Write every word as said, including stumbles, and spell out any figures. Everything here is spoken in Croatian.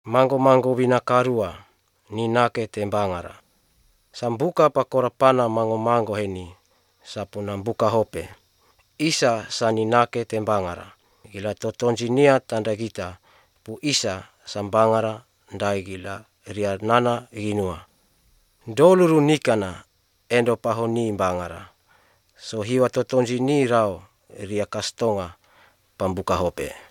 Mango-mango winakarua ni nake tembangara. Sambuka pakorapana mango-mango heni sapuna buka hope. Isa sani nake tembangara. Gila totonjinia tanda gita pu isa sambangara ndai gila ria nana ginua. Doluru nikana endo pahoni bangara. So hiwa totonjini rao ria kastonga pambuka hope.